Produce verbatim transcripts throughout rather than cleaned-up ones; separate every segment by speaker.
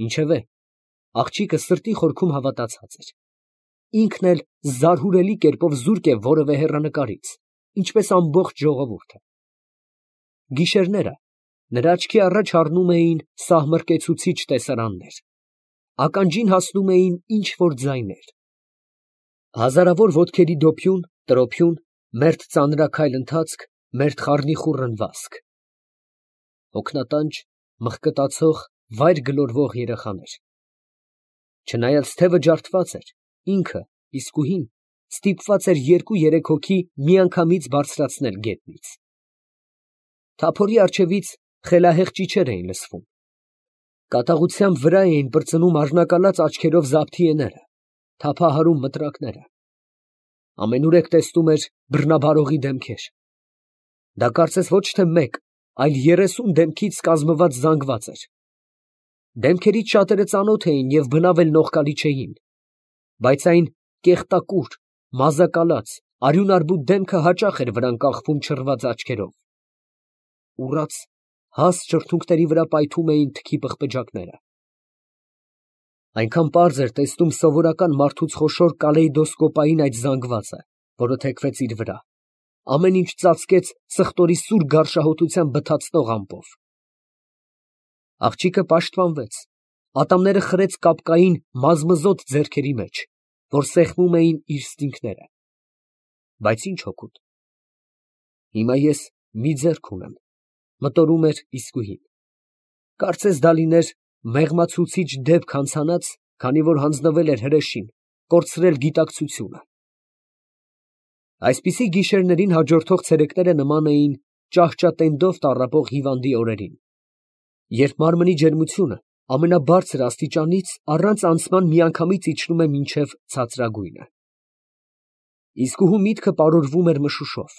Speaker 1: Ինչևէ, աղջիկը սրտի խորքում հավատացած էր. ինքն էլ զարհուրելի կերպով զուրկ է որևէ հեռանկարից, ինչպես ամբողջ ժողովուրդը։ Գիշերները նրա աչքի առաջ առնում էին սահմռկեցուցիչ տեսարաններ, ականջին հասնում էին ինչ֊որ ձայներ. հազարավոր ոտքերի դոփյուն, տրոփյուն, մերթ ծանրաքայլ ընթացք, մերթ խառնիխուռն վազք, հոգնատանջ, մղկտացող, վայր գլորվող երեխաներ։ Չնայած թևը ջարդված էր, ինքը, իսկուհին, ստիպված էր երկու֊երեք հոգի միանգամից բարձրացնել գետնից։ Թափորի առջևից խելահեղ ճիչեր էին լսվում։ Կատաղությամբ վրա էին պրծնում առնակալած աչքերով զաբթիեները, թափահարում մտրակները։ Ամենուրեք տեսնում էր բռնաբարողի դեմքեր։ Դա կարծես ոչ թե մեկ, այլ երեսուն դեմքից կազմված զանգված էր։ Դեմքերից շատերը ծանոթ էին և բնավ էլ նողկալի չէին, բայց այն կեղտակուր, մազակալած, արյունարբու դեմքը հաճախ էր վրան կախվում չռված աչքերով։ Ուռած, հաստ շրթունքների վրա պայթում էին թքի պղպջակները։ Այնքան պարզ էր տեսնում սովորական մարդուց խոշոր կալեյդոսկոպային այդ զանգվածը, որը թեքվեց իր վրա, ամեն ինչ ծածկեց սխտորի սուր գարշահոտությամբ բթացնող ամպով։ Աղջիկը պաշտպանվեց, ատամները խրեց կապկային մազմզոտ ձեռքերի մեջ, որ սեղմում էին իր ստինքները։ Բայց ինչ օգուտ։ Հիմա ես մի ձեռք ունեմ, մտորում էր իսկուհին։ Կարծես դա լիներ մեղմացուցիչ դեպք հանցանած, քանի որ հանձնվել էր հրեշին, կորցրել գիտակցությունը։ Այսպիսի գիշերներին հաջորդող ցերեկները նման էին ճահճատենդով տառապող հիվանդի օրերին, երբ մարմնի ջերմությունը ամենաբարձր աստիճանից առանց անցման միանգամից իջնում է մինչև ցածրագույնը։ Իսկուհու միտքը պարուրվում էր մշուշով։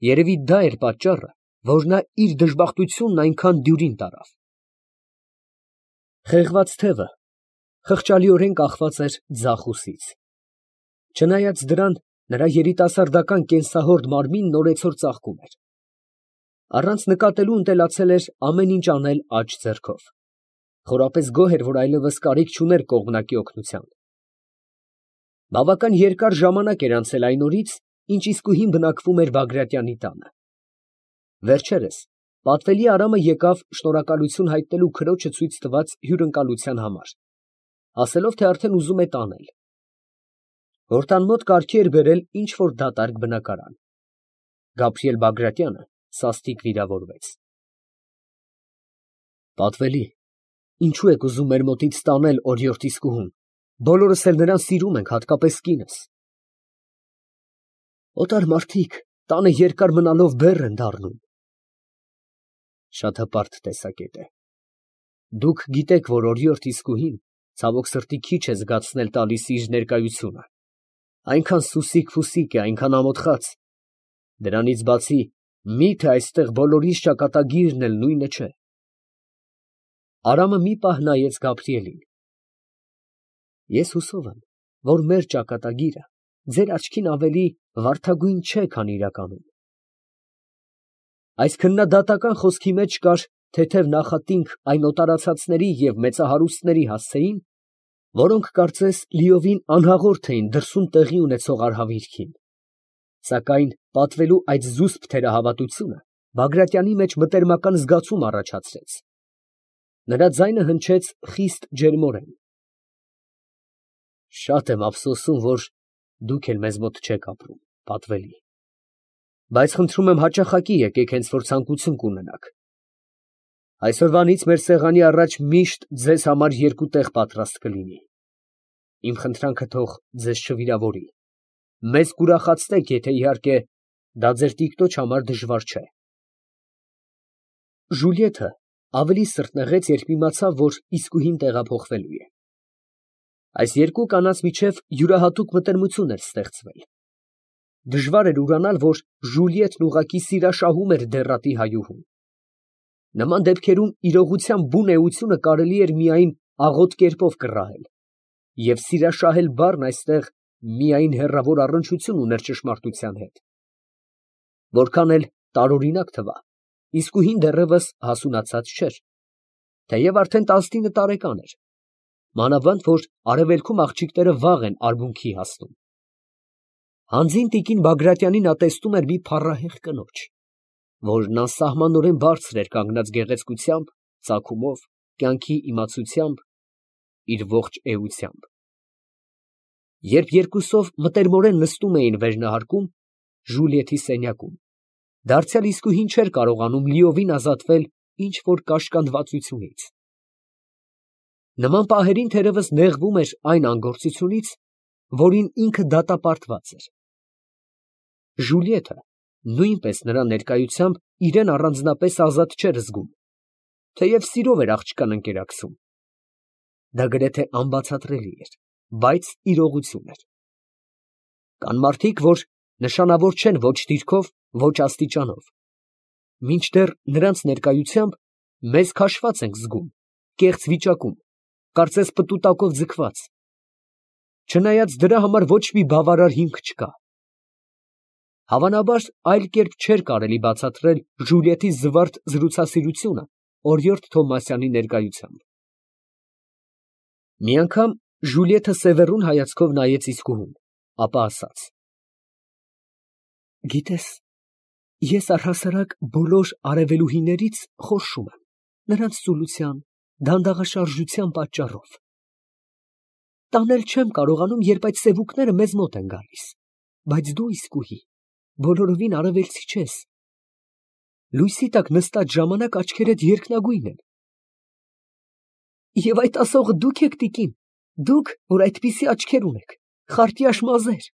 Speaker 1: Երևի դա էր պատճառը, որ նա իր դժբախտությունն այնքան դյուրին տարավ։ Խեղված թևը խղճալիորեն կախված էր ձախ ուսից։ Չնայած դրան, նրա երիտասարդական կենսահորդ մարմինն օրեցօր ծաղկում էր։ Առանց նկատելու ընտելացել էր ամեն ինչ անել աջ ձեռքով։ Խորապես գոհ էր, որ այլևս կարիք չուներ կողմնակի օգնության։ Բավական երկար ժամանակ էր անցել այն օրից, ինչ իսկուհին բնակվում էր Բագրատյանի տանը։ Վերջերս պատվելի Արամը եկավ շնորհակալություն հայտնելու քրոջը ցույց տված հյուրընկալության համար, ասելով, թե արդեն ուզում է տանել։ Որ տան մոտ կարգի էր բերել ինչ֊որ դատարկ բնակարան։ Գաբրիել Բագրատյանը սաստիկ վիրավորվեց։ Պատվելի, ինչո՞ւ եք ուզում մեր մոտից տանել օրիորդ իսկուհուն, բոլորս էլ նրան սիրում ենք, հատկապես կինս։ Օտար մարդիկ տանը երկար մնալով բեռ են դառնում։ Շատ հպարտ տեսակետ է։ Դուք գիտեք, որ օրիորդ իսկուհին ցավոք սրտի քիչ է զգացնել տալիս իր ներկայությունը, այնքան սուսիկ֊ֆուսիկ է, այնքան ամոթխած։ Դրանից բացի, մի՞թե այստեղ բոլորիս ճակատագիրն էլ նույնը չէ։ Արամը մի պահ նայեց Գաբրիելին։ Ես հուսով եմ, որ մեր ճակատագիրը ձեր աչքին ավելի վարդագույն չէ, քան իրականում։ Այս քննադատական խոսքի մեջ կար թեթև նախատինք այն օտարացածների և մեծահարուստների հասցեին, որոնք կարծես լիովին անհաղորդ էին դրսում տեղի ունեցող արհավիրքին։ Սակայն պատվելու այդ զուսպ թերահավատությունը Բագրատյանի մեջ մտերմական զգացում առաջացրեց։ Նրա ձայնը հնչեց խիստ ջերմորեն։ Շատ եմ ափսոսում, որ դուք էլ մեզ մոտ չեք ապրում, պատվելի, բայց խնդրում եմ հաճախակի եկեք, հենց որ ցանկություն կունենաք։ Այսօրվանից մեր սեղանի առաջ միշտ ձեզ համար երկու տեղ պատրաստ կլինի։ Իմ խնդրանքը թող ձեզ չվիրավորի։ Մեզ կուրախացնեք, եթե իհարկե դա ձեր տիկնոջ համար դժվար չէ։ Ժուլիեթը ավելի սրտնեղեց, երբ իմացավ, որ իսկուհին տեղափոխվելու է։ Այս երկու կանանց միջև յուրահատուկ մտերմություն էր ստեղծվել։ Դժվար էր ուրանալ, որ Ժուլիետն ուղղակի սիրաշահում էր դեռատի հայուհուն։ Նման դեպքերում իրողության բուն էությունը կարելի էր միայն աղոտ կերպով կռահել, և սիրաշահել բառն այստեղ միայն հեռավոր առնչություն ուներ ճշմարտության հետ։ Որքան էլ տարօրինակ թվա, իսկուհին դեռևս հասունացած չէր։ թեև արդեն տասնինը տարեկան էր, մանավանդ որ արևելքում աղջիկները վաղ են արմունքի հասնում։ Հանձին տիկին Բագրատյանին նա տեսնում էր մի փառահեղ կնոջ, որն անսահմանորեն բարձր էր կանգնած գեղեցկությամբ, ծագումով, կյանքի իմացությամբ, իր ողջ էությամբ։ Երբ երկուսով մտերմորեն նստում էին վերնահարկում, Ժուլիեթի սենյակում, դարձյալ իսկույն չէր կարողանում լիովին ազատվել ինչ որ կաշկանդվածությունից։ Նման պահերին թերևս նեղվում էր այն անգործությունից, որին ինքը դատապարտված էր։ Ժուլիեթը նույնպես նրա ներկայությամբ իրան առանձնապես ազատ չէր զգում, թեև սիրով էր աղջկան ընկերակցում։ Դա գրեթե անբացատրելի էր, բայց իրողություն էր։ Կան մարդիկ, որ նշանավոր չեն ոչ դիրքով, ոչ աստիճանով, մինչդեռ նրանց ներկայությամբ մեզ քաշված ենք զգում, կեղծ վիճակում, կարծես պտուտակով ձգված, չնայած դրա համար ոչ մի բավարար հիմք չկա։ Հավանաբար այլ կերպ չէր կարելի բացատրել Ժուլիեթի զվարթ զրուցասիրությունը օրիորդ Թովմասյանի ներկայությամբ։ Մի անգամ Ժուլիեթը սևեռուն հայացքով նայեց իսկուհուն, ապա ասաց. «Գիտես, ես առհասարակ բոլոր արևելուհիներից խորշում եմ, նրանց ծուլության, դանդաղաշարժության պատճառով։ Տանել չեմ կարողանում, երբ այդ սևուկները մեզ մոտ են գալիս, բայց դու, իսկուհի, բոլորովին արևելցի չես. լույսի տակ նստած ժամանակ աչքերդ երկնագույն են։ Եվ այդ ասողը դուք եք, տիկին, դուք, որ այդպիսի աչքեր ունեք, խարտյաշ մազեր։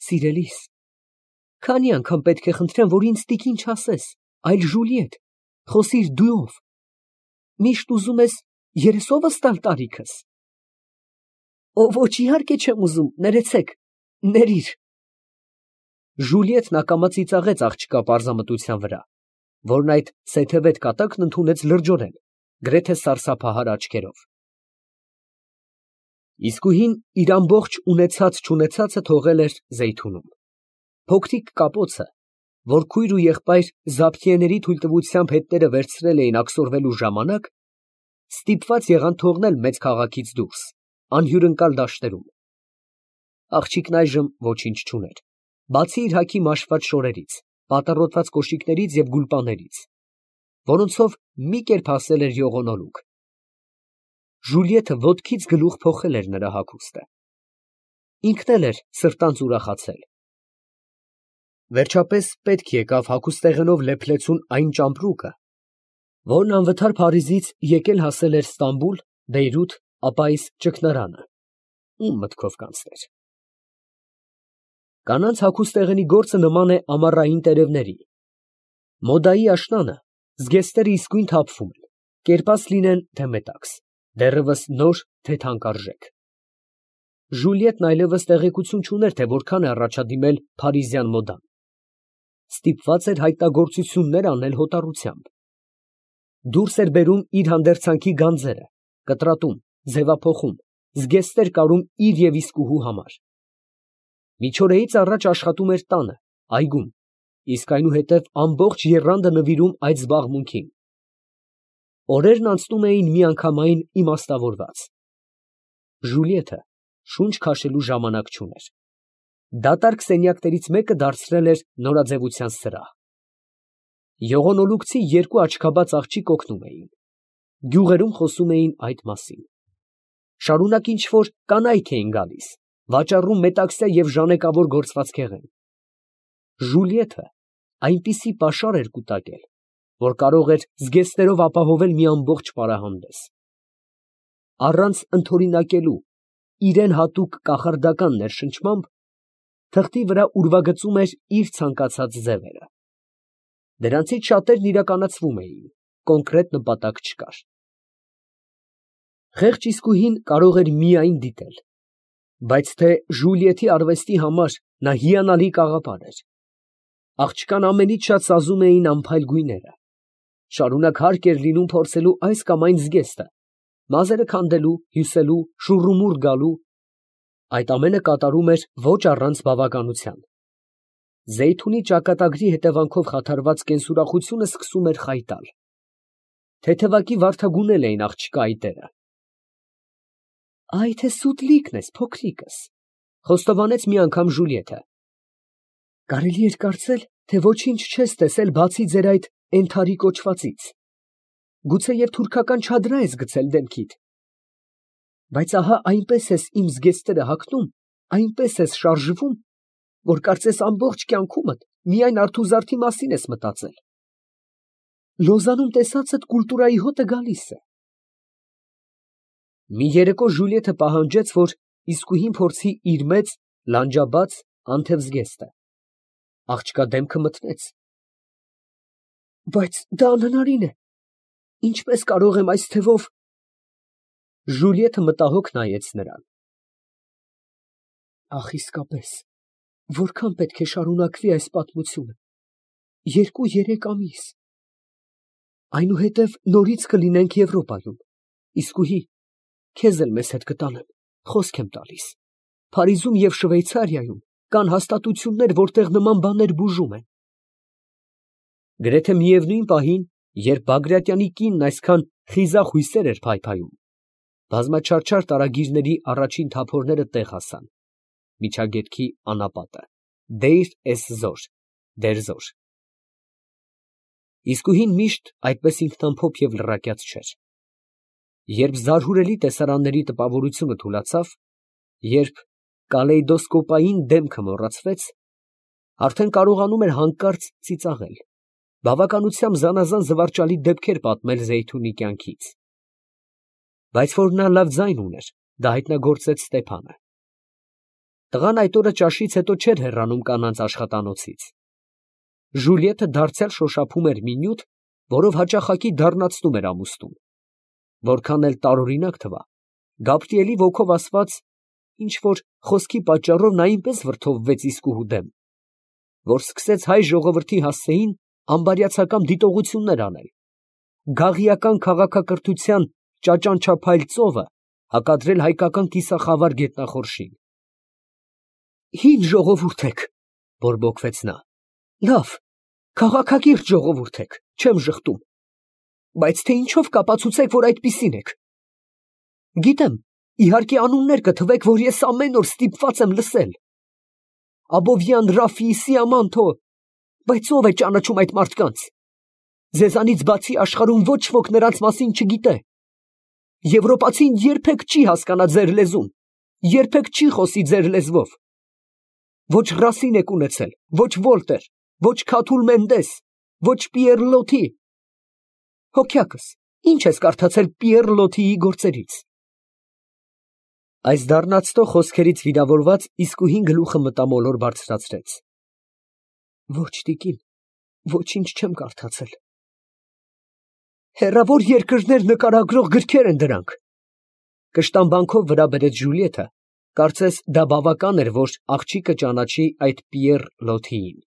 Speaker 1: Սիրելիս, քանի անգամ պետք է խնդրեմ, որ ինձ տիկին չասես, այլ Ժուլիետ, խոսիր դուով։ Միշտ ուզում ես երեսովս տալ տարիքս։ Ո ոչ, իհարկե չեմ ուզում, ներեցեք, ներիր։ Ժուլիետն ակամա ծիծաղեց աղջկա պարզամտության վրա, որն այդ սեթևետ կատակն ընդունեց լրջորեն, գրեթե սարսափահար աչքերով։ Իսկուհին իր ամբողջ ունեցած֊չունեցածը թողել էր Զեյթունում։ Փոքրիկ կապոցը, որ քույր ու եղբայր Զաբթիեների թույլտվությամբ հետները վերցրել էին աքսորվելու ժամանակ, ստիպված եղան թողնել մեծ քաղաքից դուրս, անհյուրընկալ դաշտերում։ Աղջիկն այժմ ոչինչ չուներ, բացի իր հագի մաշված շորերից, պատառոտված կոշիկներից և գուլպաներից, որոնցով մի կերպ հասել էր յողոնոլուկ։ Ժուլիեթը ոտքից գլուխ փոխել էր նրա հագուստը։ Ինքն էլ էր սրտանց ուրախացել։ Վերջապես պետք եկավ հագուստեղենով լեփլեցուն այն ճամպրուկը, որն անվթար Փարիզից եկել հասել էր Ստամբուլ, Բեյրութ, ապա այս ճգնարանը, ում մտքով կանցներ։ Կանանց հագուստեղենի գործը նման է ամառային տերևների։ Մոդայի աշնանը զգեստները իսկույն թափվում են, կերպած լինեն, թե մետաքս, դեռևս նոր, թե թանկարժեք։ Ժուլիետն այլևս տեղեկություն չուներ, թե որքան է առաջադիմել փարիզյան մոդան։ Ստիպված էր հայտնագործություններ անել հոտառությամբ։ Դուրս էր բերում իր հանդերձանքի գանձերը, կտրատում, ձևափոխում, զգեստներ կարում իր և իսկուհու համար։ Միջօրեից առաջ աշխատում էր տանը, այգում, իսկ այնուհետև ամբողջ եռանդը նվիրում այդ զբաղմունքին։ Օրերն անցնում էին միանգամայն իմաստավորված։ Ժուլիեթը շունչ քաշելու ժամանակ չուներ։ Դատարկ սենյակներից մեկը դարձրել էր նորաձևության սրահ։ Յողոնոլուկցի երկու աչքաբաց աղջիկ օգնում էին։ Գյուղերում խոսում էին այդ մասին։ Շարունակ ինչ֊որ կանայք էին գալիս, վաճառում մետաքսյա և ժանեկավոր գործվածքեղեն։ Ժուլիեթը այնպիսի պաշար էր կուտակել, որ կարող էր զգեստներով ապահովել մի ամբողջ պարահանդես։ Առանց ընդօրինակելու իրան հատուկ կախարդական ներշնչմամբ, թղթի վրա ուրվագծում էր իր ցանկացած ձևերը։ Դրանցից շատերն իրականացվում էին, կոնկրետ նպատակ չկար։ Խեղճ իսկուհին կարող էր միայն դիտել, բայց թե Ժուլիեթի արվեստի համար նա հիանալի կաղապար էր։ Աղջկան ամենից շատ սազում էին անփայլ գույները։ Շարունակ հարկ էր լինում փորձելու այս կամ այն զգեստը, մազերը քանդելու, հյուսելու, շուռումուռ գալու, այդ ամենը կատարում էր ոչ առանց բավականության։ Զեյթունի ճակատագրի հետևանքով խաթարված կենսուրախությունը սկսում էր խայտալ։ Թեթևակի վարդագունել էին աղջկա այտերը։ Այ թե սուտ լիքն ես, փոքրիկս, խոստովանեց մի անգամ Ժուլիետը։ Կարելի էր կարծել, թե ոչինչ չես տեսել, բացի ձեր այդ Էնթարի կոչվածից, գուցեև թուրքական չադրա ես գցել դեմքիդ, բայց ահա այնպես ես իմ զգեստները հագնում, այնպես ես շարժվում, որ կարծես ամբողջ կյանքումդ միայն արթուզարդի մասին ես մտածել։ Լոզանում տեսածդ կուլտուրայի հոտը գալիս է։ Մի երեկո Ժուլիետը պահանջեց, որ իսկույն փորձի իր մեծ, լանջաբաց, անթև զգեստը։ Աղջկա դեմքը մթնեց։ Բայց դա անհնարին է, ինչպես կարող եմ այս թևով… Ժուլիետը մտահոգ նայեց նրան։ Ախ, իսկապես, որքան պետք է շարունակվի այս պատմությունը, երկու֊երեք ամիս… Այնուհետև նորից կլինենք Եվրոպայում, իսկույն քեզ էլ մեզ հետ կտանեմ, խոսք եմ տալիս, Փարիզում և Շվեյցարիայում կան հաստատություններ, որտեղ նման բաներ բուժում են։ Գրեթե միևնույն պահին, երբ Բագրատյանի կինն այսքան խիզախ հույսեր էր փայփայում, բազմաչարչար տարագիրների առաջին թափորները տեղ հասան, միջագետքի անապատը, Դեյր էս զոր, դեր զոր։ Իսկույն միշտ այդպես ինքնամփոփ և լռակյաց չէր։ Երբ զարհուրելի տեսարանների տպավորությունը թուլացավ, երբ կալեյդոսկոպային դեմքը մոռացվեց, արդեն կարողանում էր հանկարծ ծիծաղել, բավականությամբ զանազան զվարճալի դեպքեր պատմել Զեյթունի կյանքից։ Բայց որ նա լավ ձայն ուներ, դա հայտնագործեց Ստեփանը։ Տղան այդ օրը ճաշից հետո չէր հեռանում կանանց աշխատանոցից։ Ժուլիետը դարձյալ շոշափում էր մի նյութ, որով հաճախակի դառնացնում էր ամուսնուն։ Որքան էլ տարօրինակ թվա, Գաբրիելի ոգով ասված, ինչ֊որ խոսքի պատճառով նա այնպես վրդովվեց իսկուհու դեմ, որ սկսեց հայ ժողովրդի հասցեին ամբարյացակամ դիտողություններ անել, գաղիական քաղաքակրթության ճաճանչափայլ ծովը հակադրել հայկական կիսախավար գետնախորշին։ Հին ժողովուրդ եք, բորբոքվեց նա, լավ, քաղաքակիրթ ժողովուրդ եք, չեմ ժխտում, բայց թե ինչով կապացուցեք, որ այդպիսին եք։ Գիտեմ, իհարկե անուններ կթվեք, որ ես ամեն օր ստիպված եմ լսել. Աբովյան, Ռաֆի, Սիամանթո, բայց ո՞վ է ճանաչում այդ մարդկանց։ Ձեզանից բացի աշխարհում ոչ ոք նրանց մասին չգիտե։ Եվրոպացին երբեք չի հասկանա ձեր լեզուն, երբեք չի խոսի ձեր լեզվով։ Ոչ Ռասին եք ունեցել, ոչ Վոլտեր, ոչ Քաթուլ Մենդես, ոչ Պիեր Լոթի։ Հոգյակս, ինչ ես կարդացել Պիեր Լոթիի գործերից։ Այս դառնացնող խոսքերից վիրավորված իսկույն գլուխը մտամոլոր բարձրացրեց։ Ոչ, տիկին, ոչինչ չեմ կարդացել։ Հեռավոր երկրներ նկարագրող գրքեր են դրանք։ Կշտամբանքով վրա բերեց Ժուլիետը, կարծես դա բավական էր, որ աղջիկը ճանաչի այդ Պիեր Լոթիին։